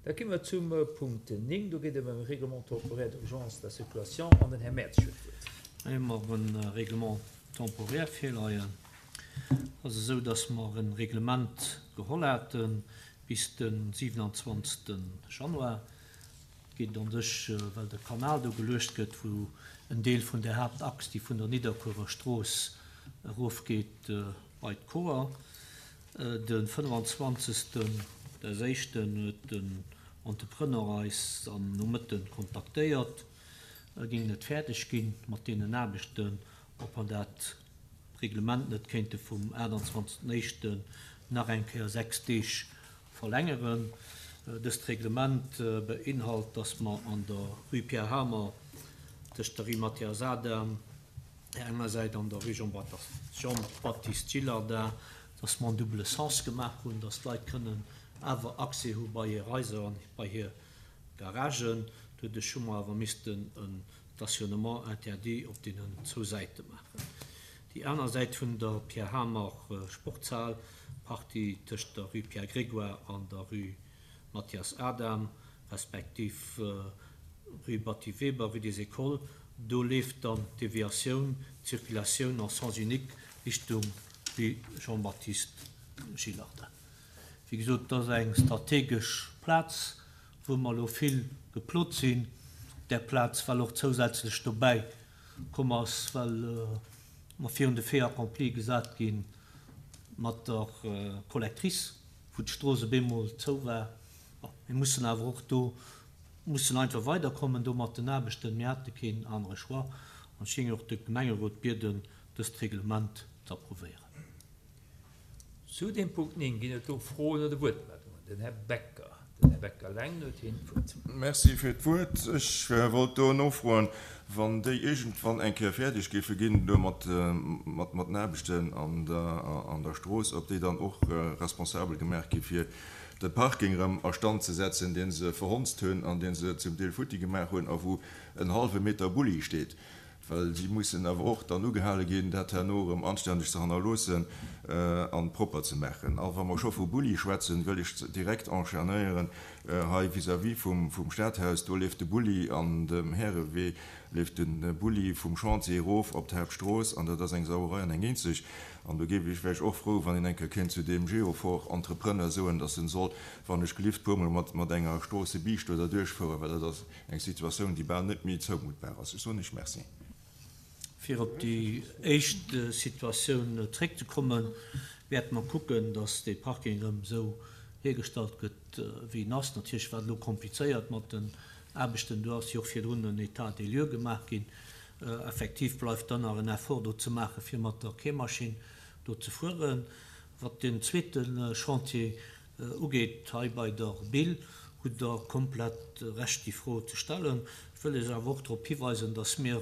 Da gi mer zum Punkt 9. Do geet et ëm e Règlement temporaire d'urgence de la circulation an den Här Mertz huet d'Wuert. Hei hu mer e Règlement temporaire virleien. Et ass esou, dass mer e Reglement geholl hate bis de 27. Januar. Et geet an sech, well de Kanal do geluecht gëtt, wou en Deel vun där Haaptachs, déi vun der Nidderkuerer Strooss erofgeet bei d'Koer. De 25 des éischten huet den Entrepreneur eis am Nomëtte kontaktéiert, e géing net fäerdeg ginn mat deenen Aarbechten, ob mer dat Reglement net kéinte vum 28 éischten nach eng Kéier 6 Deeg verlängeren. Dëst Reglement beinhalt, dass mer an der Rue Pierre Hamer tëscht der Rue Mathias Adam, där enger Säit an der Rue Jean-Baptiste Gillardin, dass mer en double sens gemaach hunn, dass d'Leit kënnen awer Accès hu bei hir Haiser an bei hir Garagen. Doduerch hu mer awer missten e Stationnement interdit op deenen zwou Säite maachen. Déi aner Säit vun der Pierre Hamer Sportshal, d'Partie tëscht der Rue Pierre Grégoire an der Rue Mathias Adam, respektiv rue Batty Weber, rue des Écoles, do leeft dann d'Deviatioun, d'Circulatioun en sens unique Richtung rue Jean-Baptiste Gillardin. Wéi gesot, et ass eng strategesch Plaz, wou mer elo vill geplot sinn op där Plaz, well och zousätzlech dobäi komm ass, well mer virun de Fait accompli gesat gi mat der Collectrice, wou d'Strooss op eemol zou war. Bon, mir mussen awer och do mussen einfach weiderkommen do mat den Aarbechten. Mir hate keen anere Choix. An ech géing och de Gemengerot bieden, dëst Reglement ze approuvéieren. Zu deem Punkt 9 ginn et do Froen oder Wuertmeldungen. Den Här Becker. Den Här Becker eleng huet hien d'Wuert. Merci fir d'Wuert. Ech wollt do nofroen, wann déi iergendwann eng Kéier fäerdeg géife ginn do mat den Aarbechten an der Strooss, ob déi dann och responsabel gemaach gi fir de Parking erëm a Stand ze setzen, dee se verhonzt hunn an dee se zum Deel futti gemaach hunn a wou en hallwe Meter Bulli steet. Well si mussen awer och dann ugehale ginn, dat herno erëm anständeg ze hannerloossen a propper ze maachen. A wa mer scho vu Bulli schwätzen, wëll ech direkt enchaînéieren, hei vis-à-vis vum Stadhaus, do leeft de Bulli an dem Härewee leeft de Bulli vum Chantier erof op d'Haaptstrooss an dat ass eng Sauerei an eng eenzeg. An do géif ech, wär ech och frou, wann een eng Kéier kéint zu deem Geofor-Entrepreneur soen, dass en soll, wann ech gelift, puermol mat enger Stroossebiischt do derduerch fueren, well dat ass Eng Situatioun, déi bal net méi zoumuttbar ass. Ech soen Iech Merci. Fir op déi éischt Situatioun zréckzekommen, wäerte mer kucken, dass dee Parking erëm esou hiergestallt gëtt, wéi en ass. Natierlech war et elo komplizéiert mat den Aarbechten. Do ass jo och virdrun en État des lieux gemaach ginn. Effektiv bleift dann nach en Effort do ze maachen, fir mat der Kehrmaschinn do ze fueren. Wat deen zweete Chantier ugeet, hei bei der Bill, hutt Der komplett Recht, déi Fro ze stellen. Ech wëll lech awer och drop hiweisen, dass mir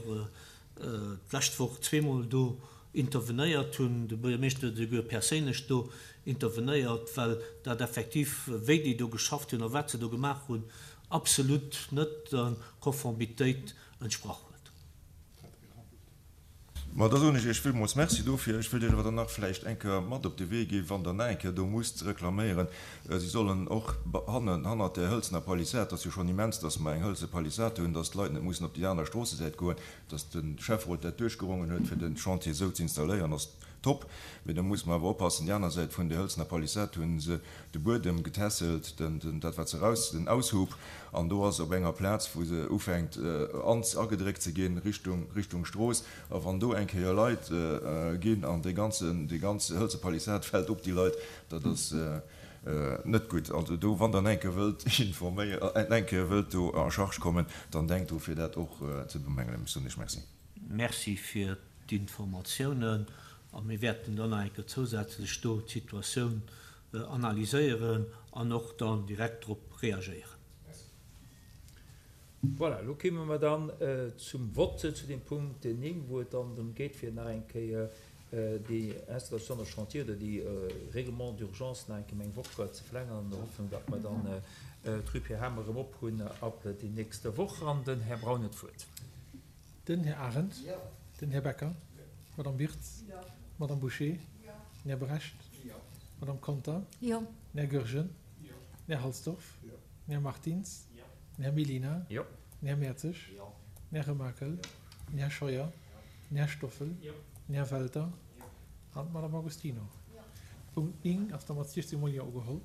d'lescht Woch zweemol do intervenéiert hunn. De Buergermeeschter huet esouguer perséinlech do intervenéiert, well dat effektiv, wéi déi do geschafft hunn a wat se do gemaach hunn, absolut net der Konformitéit entsprach huet. Ma da soen ech Iech villmools Merci dofir. Ech wëllt Iech awer dann nach vläicht eng Kéier mat op de Wee ginn, wann Der nach eng Kéier do musst reklaméieren, Si sollen och hannen, hannert där hëlzener Palissad, et ass jo schonn immens, dass mer eng hëlze Palissad hunn, dass d'Leit net mussen op déi aner Stroossesäit goen, dass de Schäfferot dat duerchgerongen huet, fir de Chantier esou ze installéieren, ass top. Mee da musse mer awer oppassen, déi aner Säit vun där hëlzener Palissad hu se de Buedem getässelt, den, dat wat se eraus, den Aushub, an do ass op enger Plaz, wou se ufänkt an, agedréckt ze ginn Richtung, Richtung Strooss, a wann do eng Kéier Leit ginn an dee ganzen, déi ganz hëlze Palissad fält op déi Leit, dat ass net gutt. Also do, wann Der eng Kéier wëllt informéieren, eng Kéier wëllt do en charge kommen, dann denkt dru fir dat och ze bemängelen. Ech soen Iech Merci. Merci fir d'Informatiounen a mir wäerten dann nach eng Kéier zousätzlech do d'Situatioun analyséieren an och dann direkt drop reagéieren. Voilà, elo kéime mer dann zum Vote zu dem Punkt 9, wou et dann drëm geet, fir nach eng Kéier déi Installation de chantier oder déi Règlement d'urgence nach eng Kéier ëm eng Woch ze verlängeren, an der Hoffnung, datt mer dann d'Rue Pierre Hamer erëm op hunn ab déi nächste Woch. An den Här Braun huet d'Wuert. Den Här Arendt. Den Här Becker. D'Madame Birtz. D'Madame Bouché. Den Här Brecht. D'Madame Conter. Den Här Goergen. Den Här Halsdorf. Den Här Martins. Den Här Mellina. Den Här Mertzig. Den Här Remakel. Den Här Scheuer. Den Här Stoffel. Den Här Welter an d'Madame Agostino. Punkt 9 ass da mat 16 mol Jo ugeholl.